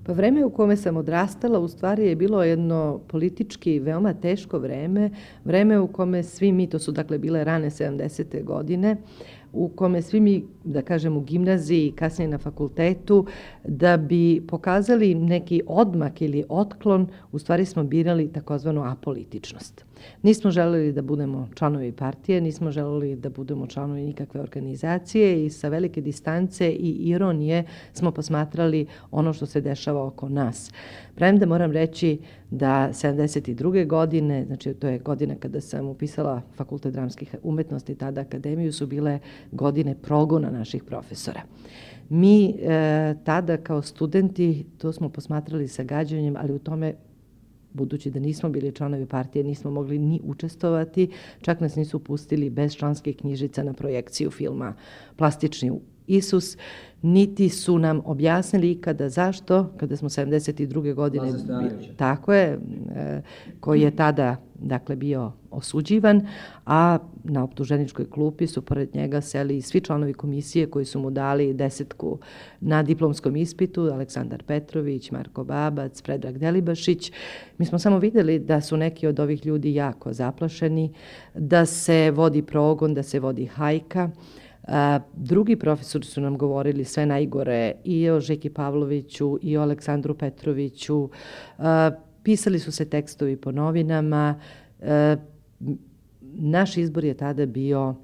Pa vreme u kome sam odrastala u stvari je bilo jedno politički veoma teško vreme u kome svi mi, to su dakle bile rane 70. godine, u kome svi mi, da kažem, u gimnaziji i kasnije na fakultetu, da bi pokazali neki odmak ili otklon, u stvari smo birali takozvanu apolitičnost. Nismo želeli da budemo članovi partije, nismo želeli da budemo članovi nikakve organizacije i sa velike distance i ironije smo posmatrali ono što se dešava oko nas. Premda moram reći da 72. godine, znači to je godina kada sam upisala Fakultet dramskih umetnosti, tada akademiju, su bile godine progona naših profesora. Mi tada kao studenti to smo posmatrali sa gađanjem, ali u tome, budući da nismo bili članovi partije, nismo mogli ni učestvovati, čak nas nisu pustili bez članskih knjižica na projekciju filma Plastični Isus, niti su nam objasnili ikada zašto, kada smo 72. godine, tako je, koji je tada dakle bio osuđivan, a na optuženičkoj klupi su pored njega seli svi članovi komisije koji su mu dali 10 na diplomskom ispitu, Aleksandar Petrović, Marko Babac, Predrag Delibašić. Mi smo samo videli da su neki od ovih ljudi jako zaplašeni, da se vodi progon, da se vodi hajka. Drugi profesori su nam govorili sve najgore i o Žeki Pavloviću i o Aleksandru Petroviću. Pisali su se tekstovi po novinama. Naš izbor je tada bio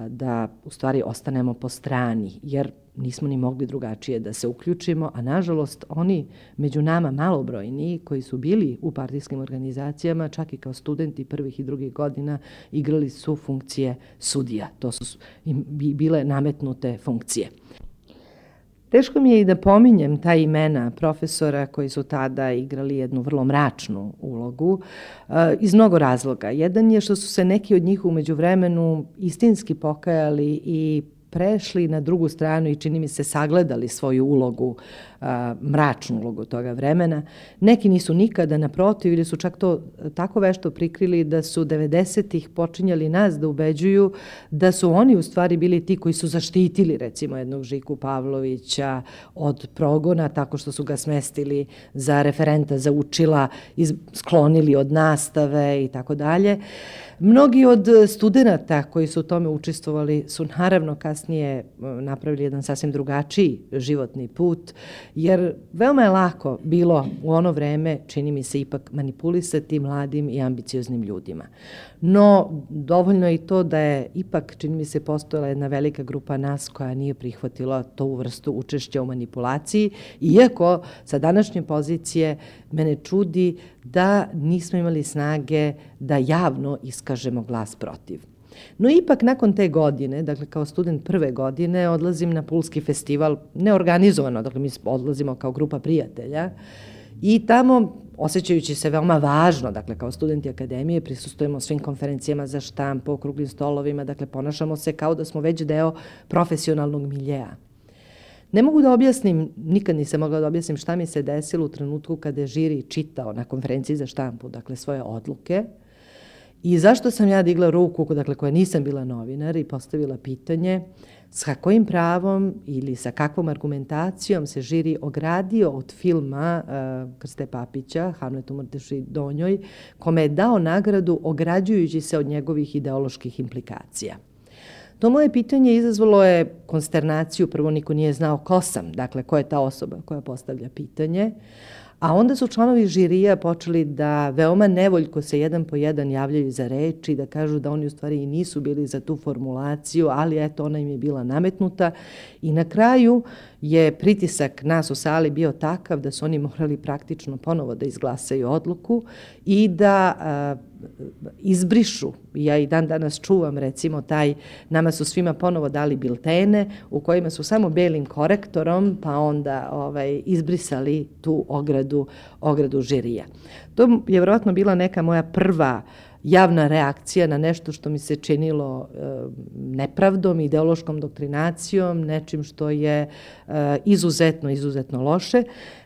da u stvari ostanemo po strani, jer nismo ni mogli drugačije da se uključimo, a nažalost oni među nama malobrojni koji su bili u partijskim organizacijama, čak i kao studenti prvih i drugih godina, igrali su funkcije sudija. To su im bile nametnute funkcije. Teško mi je i da pominjem ta imena profesora koji su tada igrali jednu vrlo mračnu ulogu iz mnogo razloga. Jedan je što su se neki od njih u međuvremenu istinski pokajali i prešli na drugu stranu i čini mi se sagledali svoju ulogu, mračnu ulogu toga vremena. Neki nisu nikada, naprotiv, ili su čak to tako vešto prikrili da su 90-ih počinjali nas da ubeđuju da su oni u stvari bili ti koji su zaštitili recimo jednog Žiku Pavlovića od progona tako što su ga smestili za referenta za učila, sklonili od nastave i tako dalje. Mnogi od studenta koji su u tome učestvovali su naravno kasnije napravili jedan sasvim drugačiji životni put, jer veoma je lako bilo u ono vreme, čini mi se, ipak manipulisati mladim i ambicioznim ljudima. No, dovoljno je i to da je ipak, čini mi se, postojala jedna velika grupa nas koja nije prihvatila tu vrstu učešća u manipulaciji, iako sa današnje pozicije mene čudi da nismo imali snage da javno iskažemo glas protiv. No ipak nakon te godine, dakle kao student prve godine, odlazim na Pulski festival, neorganizovano, dakle mi odlazimo kao grupa prijatelja i tamo, osjećajući se veoma važno, dakle kao studenti akademije, prisustvujemo svim konferencijama za štampu, okruglim stolovima, dakle ponašamo se kao da smo već deo profesionalnog miljeja. Ne mogu da objasnim, nikad nisam mogla da objasnim šta mi se desilo u trenutku kada je žiri čitao na konferenciji za štampu, dakle svoje odluke, i zašto sam ja digla ruku, dakle koja nisam bila novinar, i postavila pitanje sa kojim pravom ili sa kakvom argumentacijom se žiri ogradio od filma Krste Papića, Hamlet u Mrteši Donjoj, kome je dao nagradu ograđujući se od njegovih ideoloških implikacija. To moje pitanje izazvalo je konsternaciju, prvo niko nije znao ko sam, dakle ko je ta osoba koja postavlja pitanje, a onda su članovi žirija počeli da veoma nevoljko se jedan po jedan javljaju za reč i da kažu da oni u stvari i nisu bili za tu formulaciju, ali eto ona im je bila nametnuta i na kraju je pritisak nas u sali bio takav da su oni morali praktično ponovo da izglasaju odluku i da izbrišu. Ja i dan danas čuvam recimo nama su svima ponovo dali biltene u kojima su samo belim korektorom pa onda izbrisali tu ogradu žirija. To je vjerojatno bila neka moja prva javna reakcija na nešto što mi se činilo nepravdom, ideološkom doktrinacijom, nečim što je izuzetno loše.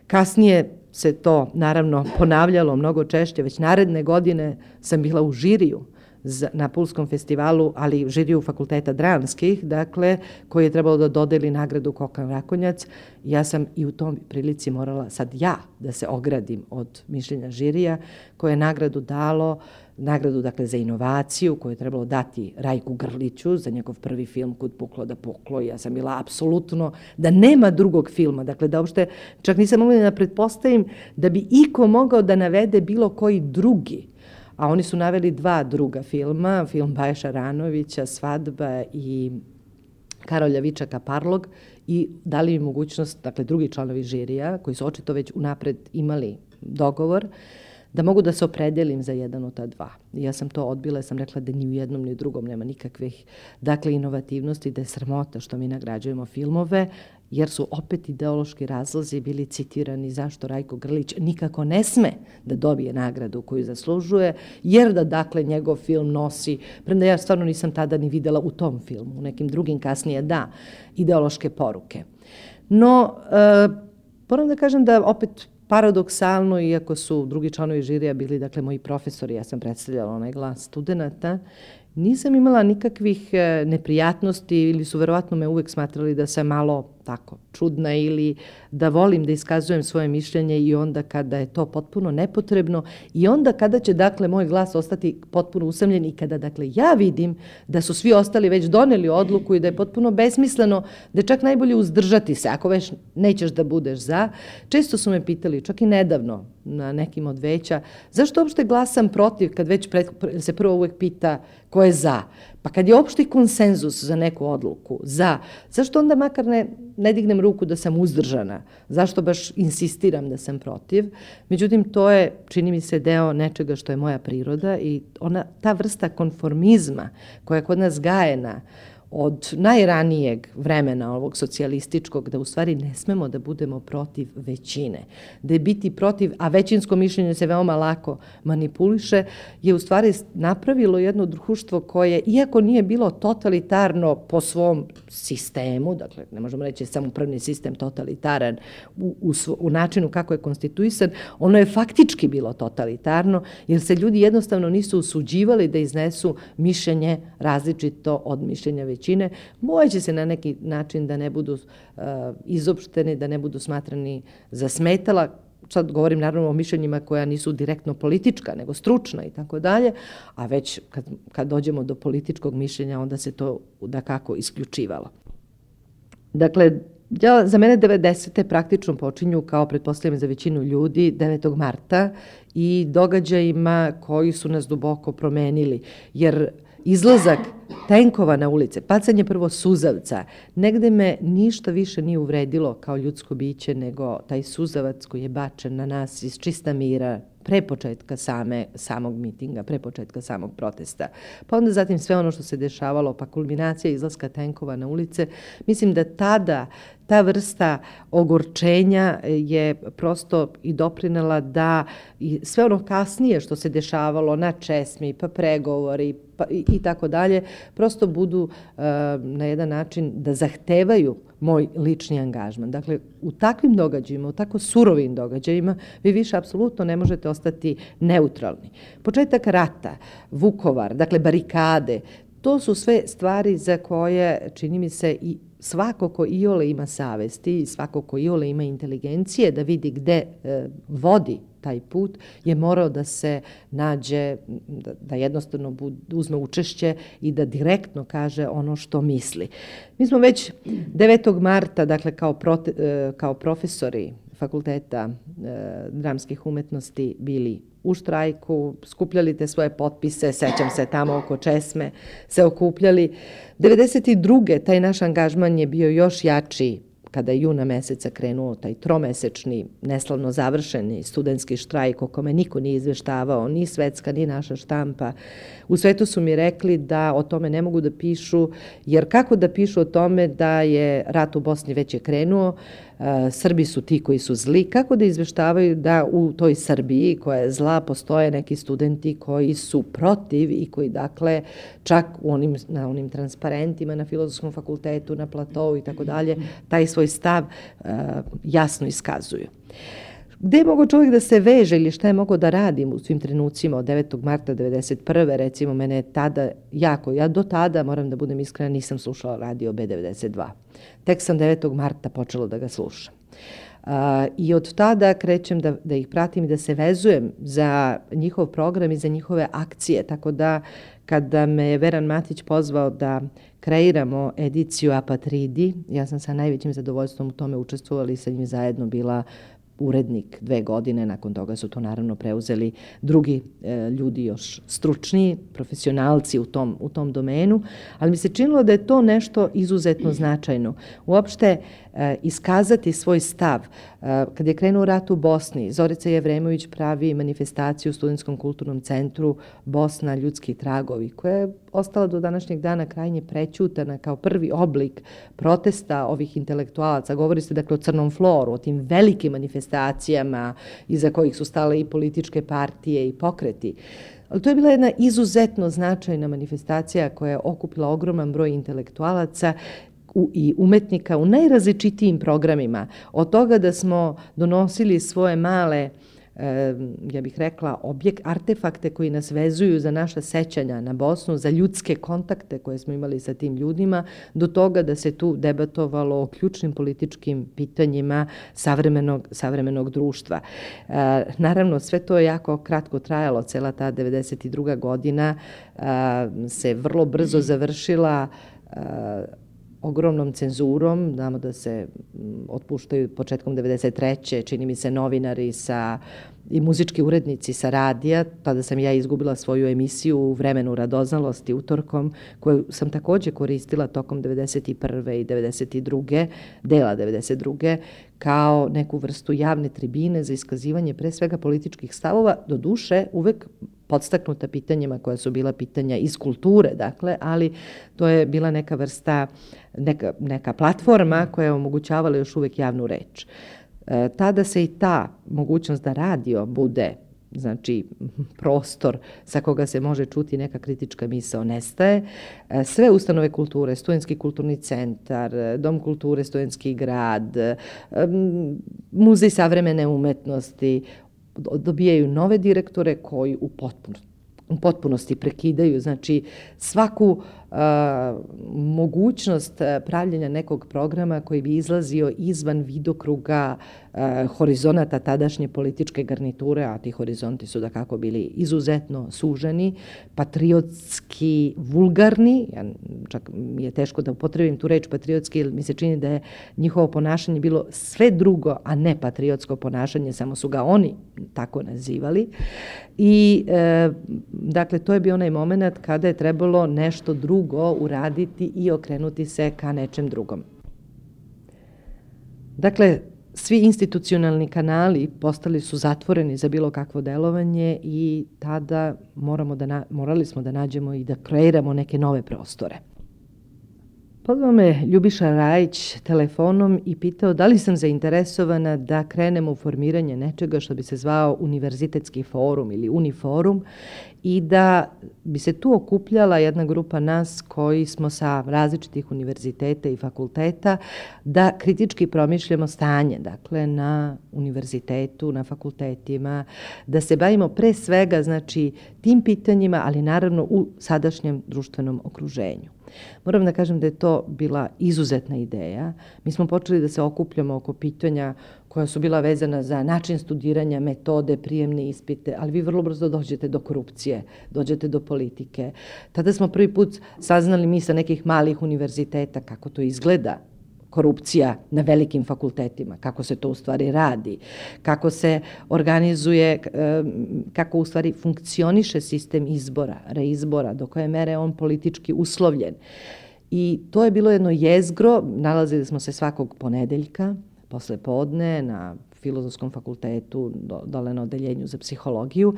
Kasnije se to naravno ponavljalo mnogo češće, već naredne godine sam bila u žiriju na Pulskom festivalu, ali žiriju fakulteta dramskih, dakle, koji je trebalo da dodeli nagradu Kokan Rakonjac. Ja sam i u tom prilici morala sad ja da se ogradim od mišljenja žirija, koje je nagradu dakle za inovaciju koju je trebalo dati Rajku Grliću za njegov prvi film Kud puklo da puklo. Ja sam bila apsolutno da nema drugog filma, dakle da uopšte čak nisam mogla da pretpostavim da bi iko mogao da navede bilo koji drugi. A oni su naveli 2 druga filma, film Baje Šaranovića, Svadba i Karolja Vičaka Parlog, i dali mi mogućnost, dakle drugi članovi žirija, koji su očito već unapred imali dogovor, da mogu da se opredelim za jedan od ta 2. I ja sam to odbila, sam rekla da ni u jednom ni u drugom nema nikakvih, dakle, inovativnosti, da je sramota što mi nagrađujemo filmove, jer su opet ideološki razlozi bili citirani zašto Rajko Grlić nikako ne sme da dobije nagradu koju zaslužuje, jer da, dakle, njegov film nosi, premda ja stvarno nisam tada ni videla u tom filmu, u nekim drugim kasnije da, ideološke poruke. No, moram da kažem da opet paradoksalno, iako su drugi članovi žirija bili, dakle, moji profesori, ja sam predstavljala onaj glas studenata, nisam imala nikakvih neprijatnosti ili su verovatno me uvek smatrali da sam malo tako čudna ili da volim da iskazujem svoje mišljenje i onda kada je to potpuno nepotrebno i onda kada će, dakle, moj glas ostati potpuno usamljen i kada, dakle, ja vidim da su svi ostali već doneli odluku i da je potpuno besmisleno, da je čak najbolje uzdržati se ako već nećeš da budeš za. Često su me pitali, čak i nedavno na nekim od veća, zašto uopšte glasam protiv kad već se prvo uvek pita ko je za? Pa kad je opšti konsenzus za neku odluku, zašto onda makar ne dignem ruku da sam uzdržana? Zašto baš insistiram da sam protiv? Međutim, to je, čini mi se, deo nečega što je moja priroda i ta vrsta konformizma koja je kod nas gajena od najranijeg vremena ovog socijalističkog, da u stvari ne smemo da budemo protiv većine. Da je biti protiv, a većinsko mišljenje se veoma lako manipuliše, je u stvari napravilo jedno društvo koje, iako nije bilo totalitarno po svom sistemu, dakle, ne možemo reći samoupravni sistem totalitaran u načinu kako je konstituisan, ono je faktički bilo totalitarno, jer se ljudi jednostavno nisu usuđivali da iznesu mišljenje različito od mišljenja većine. Bojeći se na neki način da ne budu izopšteni, da ne budu smatrani za smetala. Sad govorim naravno o mišljenjima koja nisu direktno politička, nego stručna i tako dalje, a već kad dođemo do političkog mišljenja, onda se to dakako isključivalo. Dakle, za mene 90. praktično počinju, kao pretpostavljam za većinu ljudi, 9. marta i događajima koji su nas duboko promenili, jer izlazak tenkova na ulice, bacanje prvo suzavca, negde me ništa više nije uvredilo kao ljudsko biće nego taj suzavac koji je bačen na nas iz čista mira, pre početka samog mitinga, pre početka samog protesta. Pa onda zatim sve ono što se dešavalo, pa kulminacija izlaska tenkova na ulice. Mislim da tada ta vrsta ogorčenja je prosto i doprinela da i sve ono kasnije što se dešavalo na česmi, pa pregovori i tako dalje, prosto budu na jedan način da zahtevaju moj lični angažman. Dakle, u takvim događajima, u tako surovim događajima, vi više apsolutno ne možete ostati neutralni. Početak rata, Vukovar, dakle barikade, to su sve stvari za koje, čini mi se, i svako ko iole ima savesti i svako ko iole ima inteligencije da vidi gde vodi taj put, je morao da se nađe, da jednostavno uzme učešće i da direktno kaže ono što misli. Mi smo već 9. marta, dakle kao profesori Fakulteta dramskih umetnosti bili u štrajku, skupljali te svoje potpise, sećam se tamo oko česme, se okupljali. 92. taj naš angažman je bio još jači kada je juna meseca krenuo taj tromesečni, neslavno završeni studentski štrajk o kome niko nije izveštavao, ni svetska, ni naša štampa. U svetu su mi rekli da o tome ne mogu da pišu, jer kako da pišu o tome da je rat u Bosni već je krenuo, Srbi su ti koji su zli, kako da izveštavaju da u toj Srbiji koja je zla postoje neki studenti koji su protiv i koji, dakle, čak na onim transparentima na Filozofskom fakultetu, na platovu i tako dalje, taj svoj stav jasno iskazuju. Gde je mogao čovjek da se veže ili šta je mogao da radim u svim trenucima od 9. marta 1991. Recimo, mene je tada ja do tada, moram da budem iskrena, nisam slušala radio B92. Tek sam 9. marta počela da ga slušam. I od tada krećem da ih pratim i da se vezujem za njihov program i za njihove akcije. Tako da kada me je Veran Matić pozvao da kreiramo ediciju Apatridi, ja sam sa najvećim zadovoljstvom u tome učestvovala i sa njim zajedno bila urednik 2 godine. Nakon toga su to naravno preuzeli drugi ljudi još stručniji, profesionalci u tom domenu, ali mi se činilo da je to nešto izuzetno značajno. Uopšte iskazati svoj stav. Kad je krenuo rat u Bosni, Zorica Jevremović pravi manifestaciju u Studentskom kulturnom centru Bosna ljudski tragovi, koja je ostala do današnjeg dana krajnje prećutana kao prvi oblik protesta ovih intelektualaca. Govori se dakle o Crnom floru, o tim velikim manifestacijama iza kojih su stale i političke partije i pokreti. Ali to je bila jedna izuzetno značajna manifestacija koja je okupila ogroman broj intelektualaca i umetnika u najrazličitijim programima. Od toga da smo donosili svoje male, ja bih rekla, artefakte koji nas vezuju za naša sećanja na Bosnu, za ljudske kontakte koje smo imali sa tim ljudima, do toga da se tu debatovalo o ključnim političkim pitanjima savremenog društva. Naravno, sve to je jako kratko trajalo, cela ta 92. godina se vrlo brzo završila ogromnom cenzurom. Znamo da se otpuštaju početkom 93. čini mi se novinari i muzički urednici sa radija. Tada sam ja izgubila svoju emisiju u Vremenu radoznalosti utorkom, koju sam također koristila tokom 91. i 92. dela 92. kao neku vrstu javne tribine za iskazivanje pre svega političkih stavova, do duše uvek podstaknuta pitanjima koja su bila pitanja iz kulture, dakle, ali to je bila neka vrsta, neka platforma koja je omogućavala još uvek javnu reč. Tada se i ta mogućnost da radio bude, znači prostor sa koga se može čuti neka kritička misao, nestaje. Sve ustanove kulture, Studentski kulturni centar, Dom kulture Studentski grad, Muzej savremene umetnosti, dobijaju nove direktore koji u potpunosti prekidaju, znači svaku mogućnost pravljenja nekog programa koji bi izlazio izvan vidokruga horizonata tadašnje političke garniture, a ti horizonti su dakako bili izuzetno suženi, patriotski vulgarni, čak mi je teško da upotrebim tu reč patriotski, jer mi se čini da je njihovo ponašanje bilo sve drugo, a ne patriotsko ponašanje, samo su ga oni tako nazivali. I dakle, to je bio onaj moment kada je trebalo nešto drugo uraditi i okrenuti se ka nečem drugom. Dakle, svi institucionalni kanali postali su zatvoreni za bilo kakvo delovanje i tada morali smo da nađemo i da kreiramo neke nove prostore. Pozvao me Ljubiša Rajić telefonom i pitao da li sam zainteresovana da krenemo u formiranje nečega što bi se zvao Univerzitetski forum ili Uniforum i da bi se tu okupljala jedna grupa nas koji smo sa različitih univerziteta i fakulteta da kritički promišljamo stanje, dakle na univerzitetu, na fakultetima, da se bavimo pre svega znači tim pitanjima, ali naravno u sadašnjem društvenom okruženju. Moram da kažem da je to bila izuzetna ideja. Mi smo počeli da se okupljamo oko pitanja koja su bila vezana za način studiranja, metode, prijemne ispite, ali vi vrlo brzo dođete do korupcije, dođete do politike. Tada smo prvi put saznali mi sa nekih malih univerziteta kako to izgleda, korupcija na velikim fakultetima, kako se to u stvari radi, kako se organizuje, kako u stvari funkcioniše sistem izbora, reizbora, do koje mere je on politički uslovljen. I to je bilo jedno jezgro, nalazili smo se svakog ponedeljka, posle podne, na Filozofskom fakultetu, dole na odeljenju za psihologiju.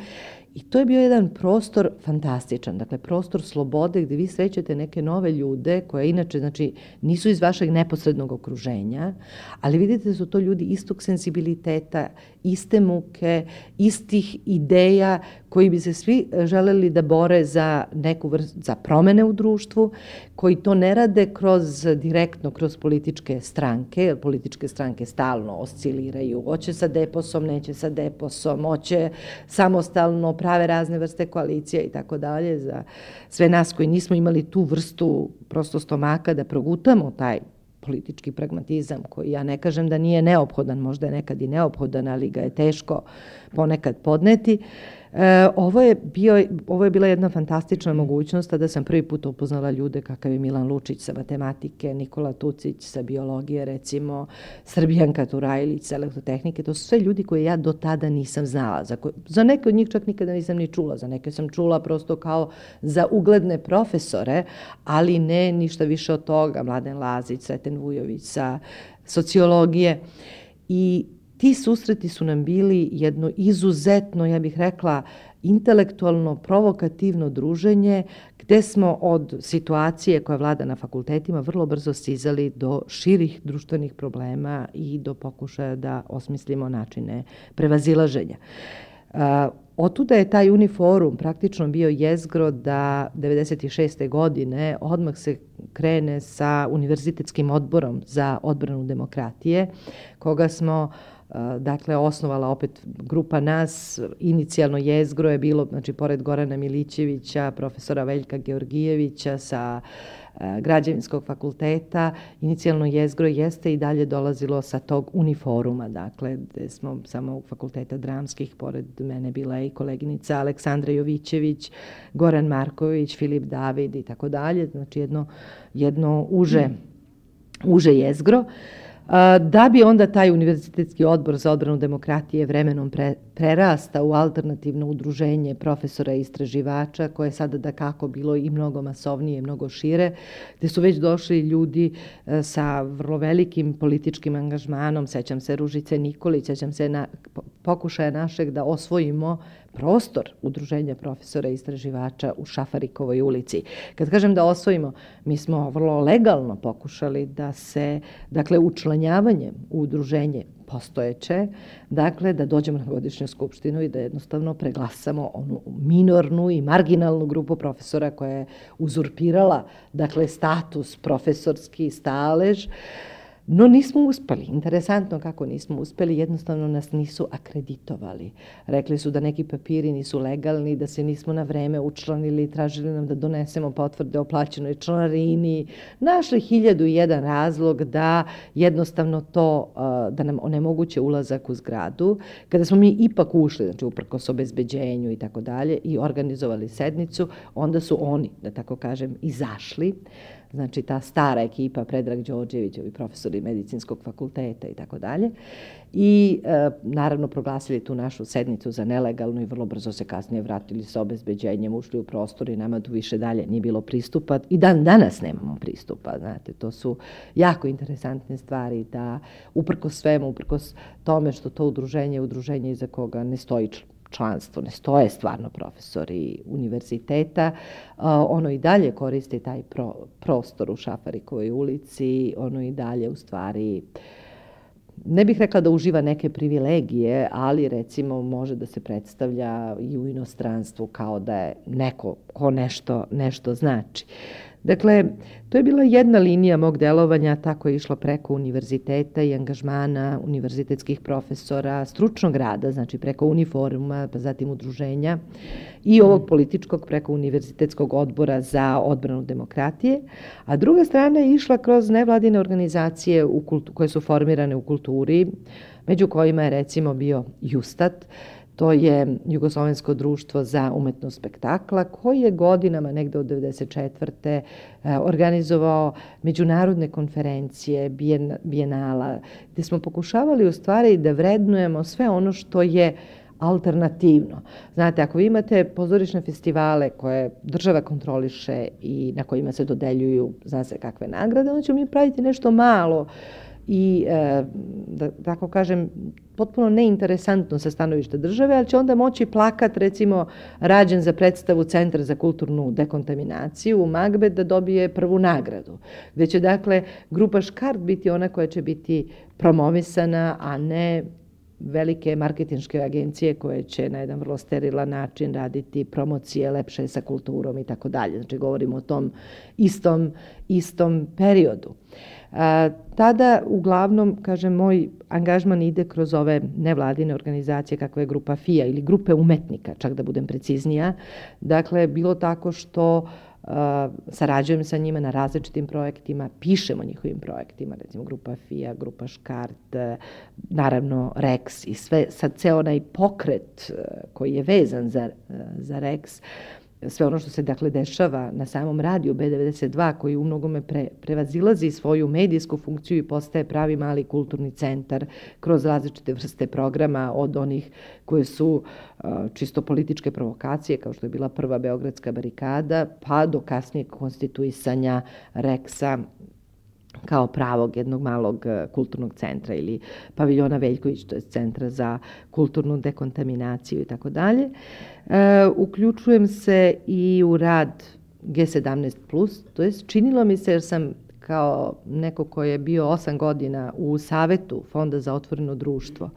I to je bio jedan prostor fantastičan, dakle prostor slobode gdje vi srećete neke nove ljude koje inače znači, nisu iz vašeg neposrednog okruženja, ali vidite da su to ljudi istog senzibiliteta, iste muke, istih ideja koji bi se svi želeli da bore za neku za promene u društvu, koji to ne rade direktno kroz političke stranke, jer političke stranke stalno osciliraju, hoće sa deposom, neće sa deposom, hoće samostalno, prave razne vrste koalicije i tako dalje. Za sve nas koji nismo imali tu vrstu prosto stomaka da progutamo taj politički pragmatizam koji ja ne kažem da nije neophodan, možda je nekad i neophodan, ali ga je teško ponekad podneti. Ovo je bila jedna fantastična mogućnost da sam prvi put upoznala ljude kakav je Milan Lučić sa matematike, Nikola Tucić sa biologije, recimo Srbijanka Turajlić sa elektrotehnike. To su sve ljudi koje ja do tada nisam znala. Za neke od njih čak nikada nisam ni čula. Za neke sam čula prosto kao za ugledne profesore, ali ne ništa više od toga. Mladen Lazić, Sreten Vujović sa sociologije. I ti susreti su nam bili jedno izuzetno, ja bih rekla, intelektualno, provokativno druženje, gde smo od situacije koja vlada na fakultetima vrlo brzo stizali do širih društvenih problema i do pokušaja da osmislimo načine prevazilaženja. Otuda je taj Uniforum praktično bio jezgro da 96. godine odmah se krene sa Univerzitetskim odborom za odbranu demokratije, koga smo osnovala opet grupa nas. Inicijalno jezgro je bilo, znači, pored Gorana Milićevića, profesora Veljka Georgijevića sa Građevinskog fakulteta, inicijalno jezgro jeste i dalje dolazilo sa tog Uniforuma, dakle, gde smo samo fakulteta dramskih, pored mene bila i koleginica Aleksandra Jovićević, Goran Marković, Filip David i tako dalje, znači jedno uže jezgro. Da bi onda taj Univerzitetski odbor za odbranu demokratije vremenom prerasta u alternativno udruženje profesora i istraživača, koje je sada dakako bilo i mnogo masovnije, mnogo šire, gde su već došli ljudi sa vrlo velikim političkim angažmanom. Sećam se Ružice Nikolić, sećam se pokušaja našeg da osvojimo prostor udruženja profesora i istraživača u Šafarikovoj ulici. Kad kažem da osvojimo, mi smo vrlo legalno pokušali da se, dakle, učlanjavanjem u udruženje postojeće, dakle, da dođemo na godišnju skupštinu i da jednostavno preglasamo onu minornu i marginalnu grupu profesora koja je uzurpirala, dakle, status profesorski stalež. No nismo uspeli. Interesantno kako nismo uspeli, jednostavno nas nisu akreditovali. Rekli su da neki papiri nisu legalni, da se nismo na vreme učlanili, tražili nam da donesemo potvrde o plaćenoj članarini, našli 1001 razlog da jednostavno to, da nam onemoguće ulazak u zgradu. Kada smo mi ipak ušli, znači uprkos obezbeđenju i tako dalje, i organizovali sednicu, onda su oni, da tako kažem, izašli. Znači ta stara ekipa, Predrag Đorđević, ovi profesori medicinskog fakulteta i tako dalje. I naravno proglasili tu našu sednicu za nelegalnu i vrlo brzo se kasnije vratili sa obezbeđenjem, ušli u prostor i nama tu više dalje nije bilo pristupa. I dan danas nemamo pristupa, znate, to su jako interesantne stvari da uprkos svemu, uprkos tome što to udruženje iza koga ne stoji članstvo, ne stoje stvarno profesori univerziteta, ono i dalje koristi taj prostor u Šafarikovoj ulici, ono i dalje u stvari, ne bih rekla da uživa neke privilegije, ali recimo može da se predstavlja i u inostranstvu kao da je neko ko nešto znači. Dakle, to je bila jedna linija mog delovanja, tako je išlo preko univerziteta i angažmana univerzitetskih profesora, stručnog rada, znači preko Uniforuma, pa zatim udruženja i ovog političkog preko Univerzitetskog odbora za odbranu demokratije, a druga strana je išla kroz nevladine organizacije koje su formirane u kulturi, među kojima je recimo bio Justat. To je Jugoslovensko društvo za umetnost spektakla, koji je godinama, negde od 1994. Organizovao međunarodne konferencije, bijenala, gde smo pokušavali u stvari da vrednujemo sve ono što je alternativno. Znate, ako vi imate pozorišne festivale koje država kontroliše i na kojima se dodeljuju, zna se kakve nagrade, onda ćemo mi praviti nešto malo i, da tako kažem, potpuno neinteresantno sa stanovišta države, ali će onda moći plakat, recimo, rađen za predstavu Centra za kulturnu dekontaminaciju u Magbet da dobije prvu nagradu. Gde će, dakle, grupa Škart biti ona koja će biti promovisana, a ne velike marketinške agencije koje će na jedan vrlo sterilan način raditi promocije lepše sa kulturom i tako dalje. Znači, govorimo o tom istom periodu. Tada, uglavnom, kažem, moj angažman ide kroz ove nevladine organizacije kakva je grupa FIA ili grupe umetnika, čak da budem preciznija. Dakle, bilo tako što sarađujem sa njima na različitim projektima, pišemo njihovim projektima, recimo grupa FIA, grupa Škart, naravno Rex i sve, sad ceo onaj pokret koji je vezan za Rex, sve ono što se dakle dešava na samom radiju B92 koji u mnogome prevazilazi svoju medijsku funkciju i postaje pravi mali kulturni centar kroz različite vrste programa, od onih koje su čisto političke provokacije kao što je bila prva Beogradska barikada, pa do kasnijeg konstituisanja Reksa kao pravog jednog malog kulturnog centra ili paviljona Veljković, to je centra za kulturnu dekontaminaciju i tako dalje. Uključujem se i u rad G17+, to je činilo mi se jer sam kao neko koji je bio 8 godina u Savetu Fonda za otvoreno društvo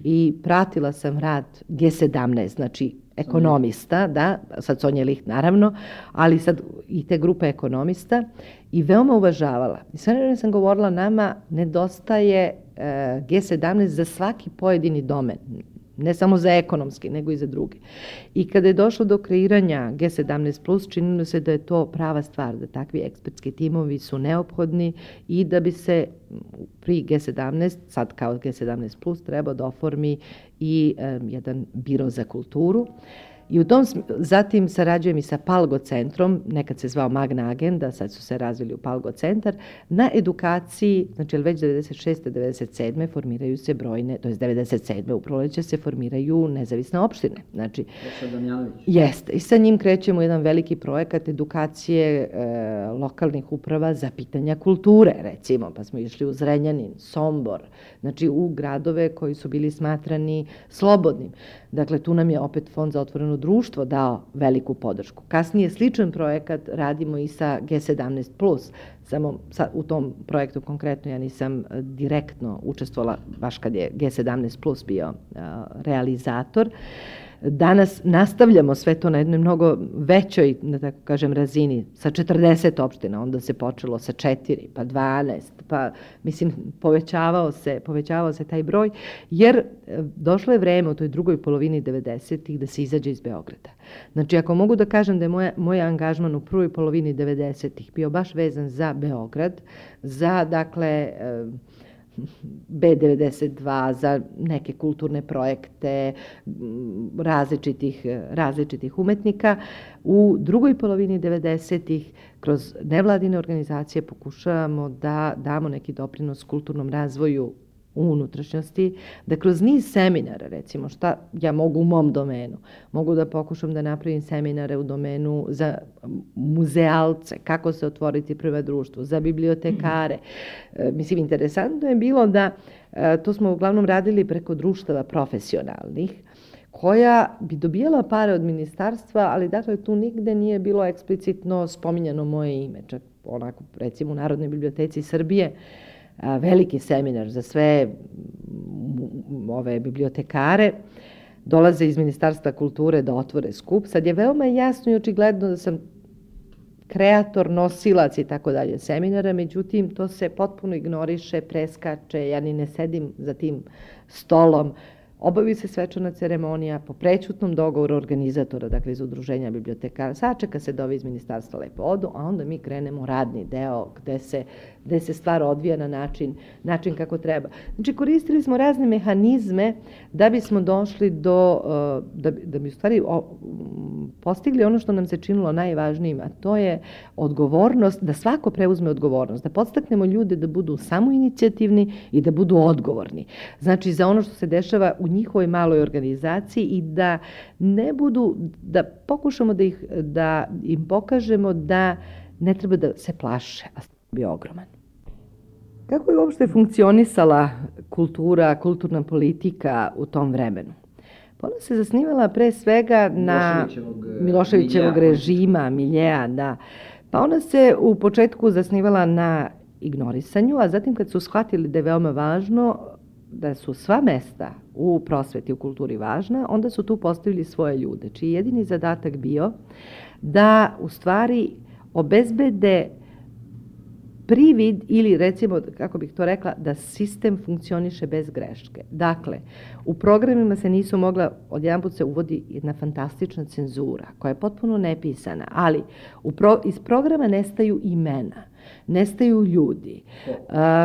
i pratila sam rad G17, znači ekonomista, da, sad Sonja Licht naravno, ali sad i te grupe ekonomista i veoma uvažavala. I sve vreme sam govorila, nama nedostaje G17 za svaki pojedini domen, ne samo za ekonomski, nego i za druge. I kada je došlo do kreiranja G17+, činilo se da je to prava stvar, da takvi ekspertski timovi su neophodni i da bi se pri G17, sad kao G17+, trebao da oformi i jedan biro za kulturu. I u tom, zatim sarađujem i sa Palgo centrom, nekad se zvao Magna Agenda, sad su se razvili u Palgo centar, na edukaciji, znači već 96. 97. formiraju se brojne, to je 97. u proleće se formiraju nezavisne opštine. Znači, jeste. I sa njim krećemo jedan veliki projekat edukacije lokalnih uprava za pitanja kulture, recimo, pa smo išli u Zrenjanin, Sombor, znači u gradove koji su bili smatrani slobodnim. Dakle, tu nam je opet Fond za otvoreno društvo dao veliku podršku. Kasnije sličan projekat radimo i sa G17+, samo u tom projektu konkretno ja nisam direktno učestvovala baš kad je G17+ bio realizator. Danas nastavljamo sve to na jednoj mnogo većoj, da tako kažem, razini, sa 40 opština, onda se počelo sa 4, pa 12, pa, mislim, povećavao se taj broj, jer došlo je vreme u toj drugoj polovini 90-ih da se izađe iz Beograda. Znači, ako mogu da kažem da je moj angažman u prvoj polovini 90-ih bio baš vezan za Beograd, za, dakle, B92, za neke kulturne projekte različitih umetnika. U drugoj polovini 90-ih kroz nevladine organizacije pokušavamo da damo neki doprinos kulturnom razvoju u unutrašnjosti, da kroz niz seminara, recimo, šta ja mogu u mom domenu, mogu da pokušam da napravim seminare u domenu za muzealce, kako se otvoriti prvo društvo, za bibliotekare. Mislim, interesantno je bilo da, to smo uglavnom radili preko društava profesionalnih, koja bi dobijala pare od ministarstva, ali dakle tu nigde nije bilo eksplicitno spominjano moje ime. Čak onako, recimo u Narodnoj biblioteci Srbije, veliki seminar za sve ove bibliotekare, dolaze iz Ministarstva kulture da otvore skup. Sad je veoma jasno i očigledno da sam kreator, nosilac i tako dalje seminara, međutim to se potpuno ignoriše, preskače, ja ni ne sedim za tim stolom. Obavi se svečana ceremonija po prećutnom dogovoru organizatora, dakle iz udruženja bibliotekara, sačeka se da ovi iz ministarstva lepo odu, a onda mi krenemo radni deo gde se stvar odvija na način kako treba. Znači, koristili smo razne mehanizme da bismo došli da bi u stvari postigli ono što nam se činilo najvažnijim, a to je odgovornost, da svako preuzme odgovornost, da podstaknemo ljude da budu samoinicijativni i da budu odgovorni. Znači, za ono što se dešava u njihovoj maloj organizaciji i da ne budu, da pokušamo da im pokažemo da ne treba da se plaše, a bio ogroman. Kako je uopšte funkcionisala kulturna politika u tom vremenu? Ona se zasnivala pre svega na Miloševićevog režima, miljea, da. Pa ona se u početku zasnivala na ignorisanju, a zatim kad su shvatili da je veoma važno, da su sva mesta u prosveti, u kulturi važna, onda su tu postavili svoje ljude, čiji jedini zadatak bio da u stvari obezbede privid ili recimo, kako bih to rekla, da sistem funkcioniše bez greške. Dakle, u programima se nisu mogla, odjedanput se uvodi jedna fantastična cenzura koja je potpuno nepisana, ali iz programa nestaju imena, nestaju ljudi,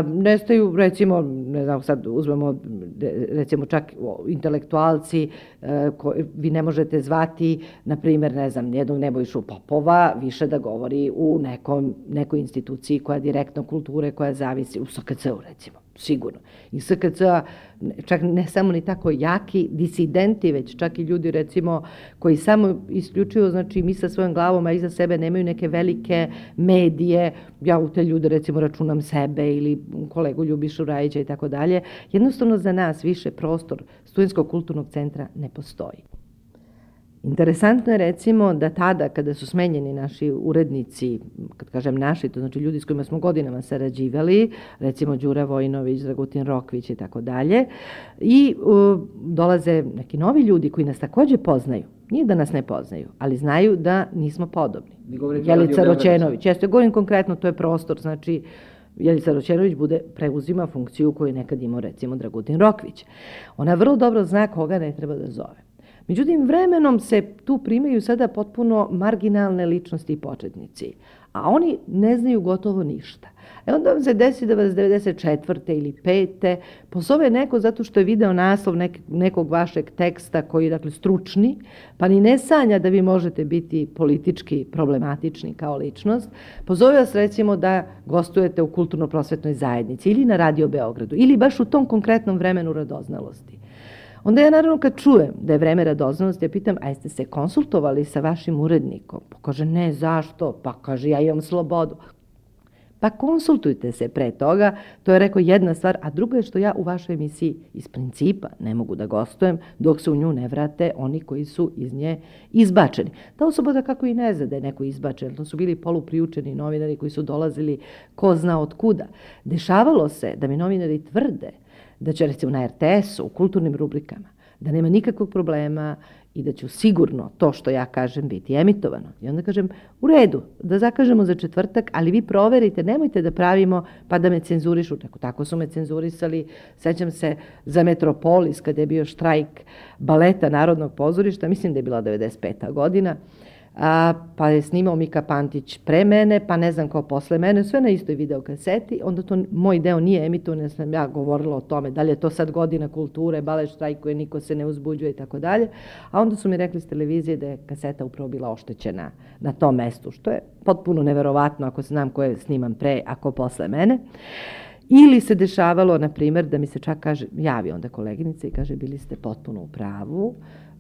nestaju recimo, ne znam, sad uzmemo recimo čak intelektualci, vi ne možete zvati, na primjer, ne znam, jednog Nebojšu Popova više da govori u nekoj instituciji koja direktno kulture, koja zavisi, u SKC-u recimo, sigurno. I SKC-a čak ne samo ni tako jaki disidenti, već čak i ljudi recimo koji samo isključuju, znači mi sa svojom glavom, a iza sebe nemaju neke velike medije, ja u te ljude recimo računam sebe ili kolegu Ljubišu Rajića i tako dalje, jednostavno za nas više prostor Studentskog kulturnog centra ne postoji. Interesantno je recimo da tada kada su smenjeni naši urednici, kad kažem naši, to znači ljudi s kojima smo godinama sarađivali, recimo Đura Vojinović, Dragutin Rokvić i tako dalje, i dolaze neki novi ljudi koji nas takođe poznaju. Nije da nas ne poznaju, ali znaju da nismo podobni. Jelica Roćenović, jeste, govorim konkretno, to je prostor, znači Jelica Roćenović preuzima funkciju koju je nekad imao recimo Dragutin Rokvić. Ona vrlo dobro zna koga ne treba da zove. Međutim, vremenom se tu primaju sada potpuno marginalne ličnosti i početnici, a oni ne znaju gotovo ništa. Onda vam se desi da vas 94. ili 5. pozove neko zato što je video naslov nekog vašeg teksta koji je, dakle, stručni, pa ni ne sanja da vi možete biti politički problematični kao ličnost. Pozove vas recimo da gostujete u kulturno-prosvetnoj zajednici ili na Radio Beogradu ili baš u tom konkretnom vremenu radoznalosti. Onda ja naravno kad čujem da je vreme radoznalosti, ja pitam, a jeste se konsultovali sa vašim urednikom? Pa kaže, ne, zašto? Pa kaže, ja imam slobodu. Pa konsultujte se pre toga, to je rekao jedna stvar, a druga je što ja u vašoj emisiji iz principa ne mogu da gostujem dok se u nju ne vrate oni koji su iz nje izbačeni. Ta osoba da kako i ne zna da je neko izbačen, to su bili polupriučeni novinari koji su dolazili ko zna od kuda. Dešavalo se da mi novinari tvrde da će recimo na RTS-u, u kulturnim rubrikama, da nema nikakvog problema i da će sigurno to što ja kažem biti emitovano. I onda kažem, u redu, da zakažemo za četvrtak, ali vi proverite, nemojte da pravimo pa da me cenzurišu. Tako su me cenzurisali, sećam se za Metropolis kada je bio štrajk baleta Narodnog pozorišta, mislim da je bila 95. godina, pa je snimao Mika Pantić pre mene, pa ne znam ko posle mene, sve na istoj videokaseti, onda to moj deo nije emitovan, jer sam ja govorila o tome, da li je to sad godina kulture, balet štrajkuje, niko se ne uzbuđuje i tako dalje, a onda su mi rekli s televizije da je kaseta upravo bila oštećena na tom mestu, što je potpuno neverovatno ako znam ko je sniman pre, a ko posle mene. Ili se dešavalo, na primjer, da mi se čak kaže, javi onda koleginica i kaže, bili ste potpuno u pravu,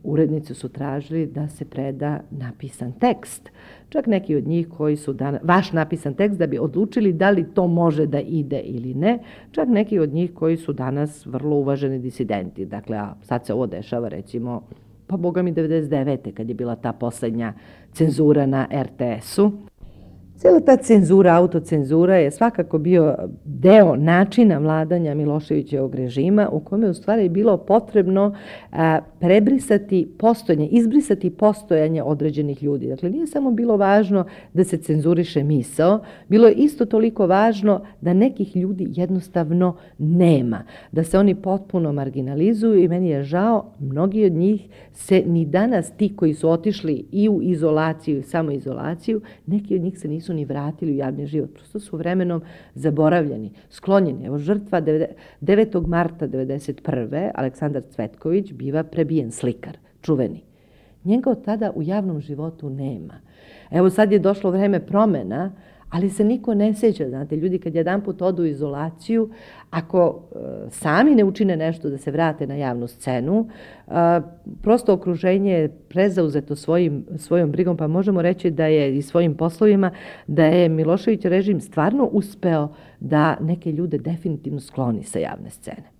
urednici su tražili da se preda napisan tekst. Čak neki od njih koji su vaš napisan tekst da bi odlučili da li to može da ide ili ne. Čak neki od njih koji su danas vrlo uvaženi disidenti. Dakle, a sad se ovo dešava recimo, pa boga mi 99. kad je bila ta poslednja cenzura na RTS-u. Cijela ta cenzura, autocenzura je svakako bio deo načina vladanja Miloševićevog režima u kome u stvari bilo potrebno prebrisati postojanje, izbrisati postojanje određenih ljudi. Dakle, nije samo bilo važno da se cenzuriše misao, bilo je isto toliko važno da nekih ljudi jednostavno nema, da se oni potpuno marginalizuju i meni je žao, mnogi od njih se ni danas, ti koji su otišli i u izolaciju i samoizolaciju, neki od njih se nisu ni vratili u javni život. Prosto su vremenom zaboravljeni, sklonjeni. Evo, žrtva 9. marta 1991. Aleksandar Cvetković biva prebijen, slikar, čuveni. Njega od tada u javnom životu nema. Evo, sad je došlo vreme promena, ali se niko ne sjeća. Znate, ljudi kad jedanput odu u izolaciju, ako sami ne učine nešto da se vrate na javnu scenu, prosto okruženje je prezauzeto svojom brigom, pa možemo reći da je i svojim poslovima, da je Milošević režim stvarno uspeo da neke ljude definitivno skloni sa javne scene.